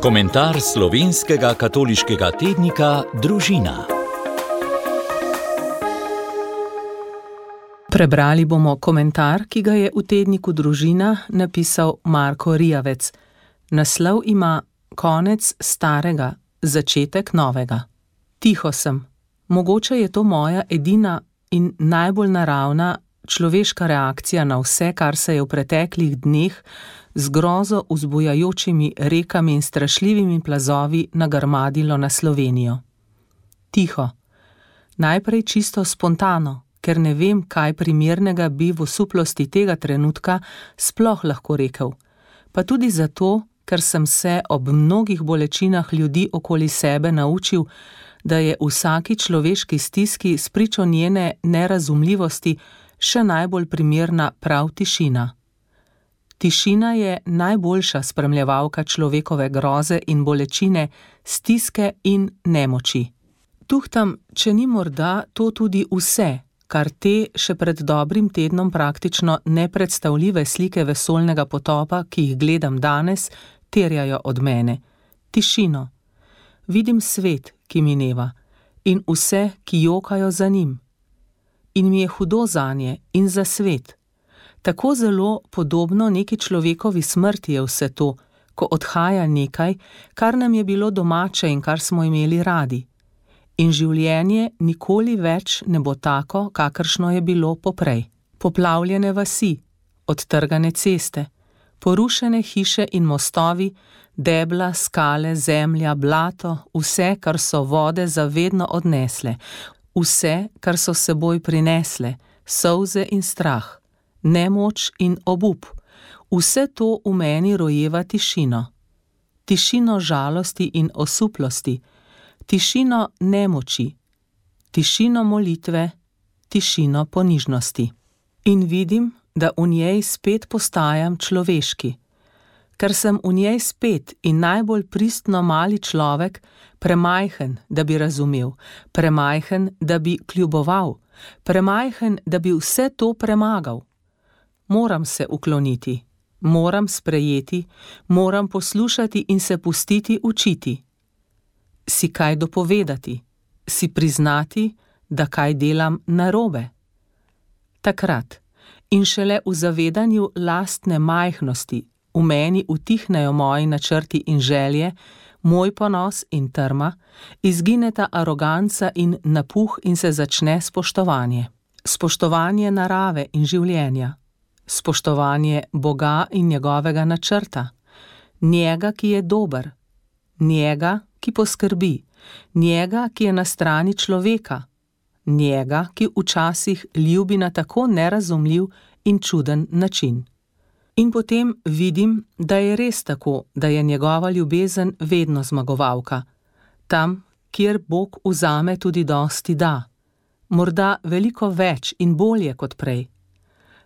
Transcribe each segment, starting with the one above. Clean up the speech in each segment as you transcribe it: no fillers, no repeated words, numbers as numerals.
Komentar slovenskega katoliškega tednika Družina. Prebrali bomo komentar, ki ga je v tedniku Družina napisal Marko Rijavec. Naslov ima Konec starega, začetek novega. Tiho sem. Mogoče je to moja edina in najbolj naravna človeška reakcija na vse, kar se je v preteklih dneh z grozo vzbujajočimi rekami in strašljivimi plazovi nagrmadilo na Slovenijo. Tiho. Najprej čisto spontano, ker ne vem, kaj primernega bi v osuplosti tega trenutka sploh lahko rekel. Pa tudi zato, ker sem se ob mnogih bolečinah ljudi okoli sebe naučil, da je vsaki človeški stiski spričo njene nerazumljivosti še najbolj primerna prav tišina. Tišina je najboljša spremljevalka človekove groze in bolečine, stiske in nemoči. Tuhtam, če ni morda to tudi vse, kar te še pred dobrim tednom praktično nepredstavljive slike vesoljnega potopa, ki jih gledam danes, terjajo od mene. Tišino. Vidim svet, ki mineva, in vse, ki jokajo za njim. In mi je hudo zanje in za svet. Tako zelo podobno neki človekovi smrti je vse to, ko odhaja nekaj, kar nam je bilo domače in kar smo imeli radi. In življenje nikoli več ne bo tako, kakršno je bilo poprej. Poplavljene vasi, odtrgane ceste, porušene hiše in mostovi, debla, skale, zemlja, blato, vse, kar so vode zavedno odnesle, vse, kar so seboj prinesle, solze in strah, nemoč in obup, vse to v meni rojeva tišino. Tišino žalosti in osuplosti, tišino nemoči, tišino molitve, tišino ponižnosti. In vidim, da v njej spet postajam človeški. Ker sem v njej spet in najbolj pristno mali človek, premajhen, da bi razumel, premajhen, da bi kljuboval, premajhen, da bi vse to premagal. Moram se ukloniti, moram sprejeti, moram poslušati in se pustiti učiti. Si kaj dopovedati, si priznati, da kaj delam narobe. Takrat in šele v zavedanju lastne majhnosti v meni utihnejo moji načrti in želje, moj ponos in trma, izgineta aroganca in napuh in se začne spoštovanje. Spoštovanje narave in življenja, spoštovanje Boga in njegovega načrta, njega, ki je dober, njega, ki poskrbi, njega, ki je na strani človeka, njega, ki včasih ljubi na tako nerazumljiv in čuden način. In potem vidim, da je res tako, da je njegova ljubezen vedno zmagovalka. Tam, kjer Bog vzame, tudi dosti da. Morda veliko več in bolje kot prej.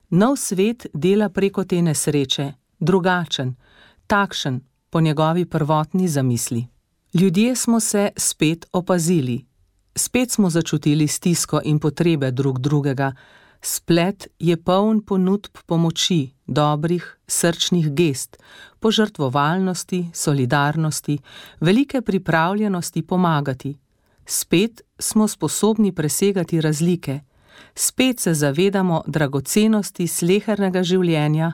Nov svet dela preko te nesreče, drugačen, takšen po njegovi prvotni zamisli. Ljudje smo se spet opazili. Spet smo začutili stisko in potrebe drug drugega. Splet je poln ponudb pomoči, dobrih, srčnih gest, požrtvovalnosti, solidarnosti, velike pripravljenosti pomagati. Spet smo sposobni presegati razlike. Spet se zavedamo dragocenosti slehernega življenja.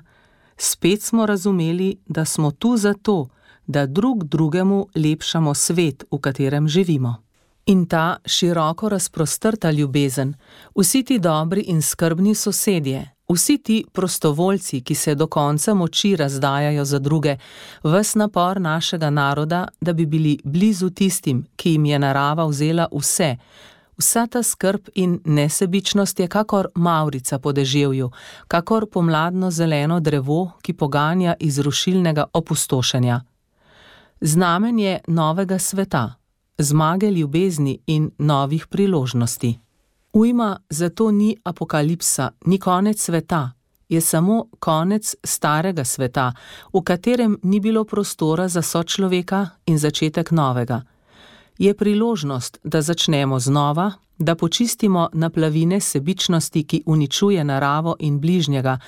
Spet smo razumeli, da smo tu zato, da drug drugemu lepšamo svet, v katerem živimo. In ta široko razprostrta ljubezen, vsi ti dobri in skrbni sosedje, vsi ti prostovoljci, ki se do konca moči razdajajo za druge, ves napor našega naroda, da bi bili blizu tistim, ki jim je narava vzela vse, vsa ta skrb in nesebičnost je kakor mavrica po deževju, kakor pomladno zeleno drevo, ki poganja iz rušilnega opustošenja. Znamenje novega sveta, zmage ljubezni in novih priložnosti. Ujma zato ni apokalipsa, ni konec sveta, je samo konec starega sveta, v katerem ni bilo prostora za sočloveka in začetek novega. Je priložnost, da začnemo znova, da počistimo naplavine sebičnosti, ki uničuje naravo in bližnjega,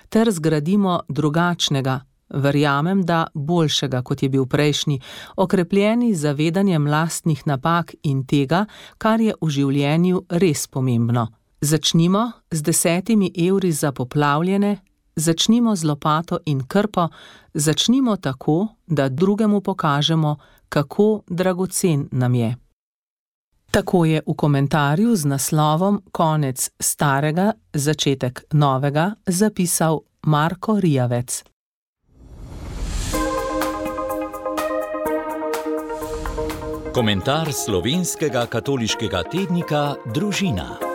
ter zgradimo drugačnega, Verjamem, da boljšega, kot je bil prejšnji, okrepljeni z zavedanjem lastnih napak in tega, kar je v življenju res pomembno. Začnimo z 10 evri za poplavljene, začnimo z lopato in krpo, začnimo tako, da drugemu pokažemo, kako dragocen nam je. Tako je v komentarju z naslovom Konec starega, začetek novega zapisal Marko Rijavec. Komentar slovenskega katoliškega tednika Družina.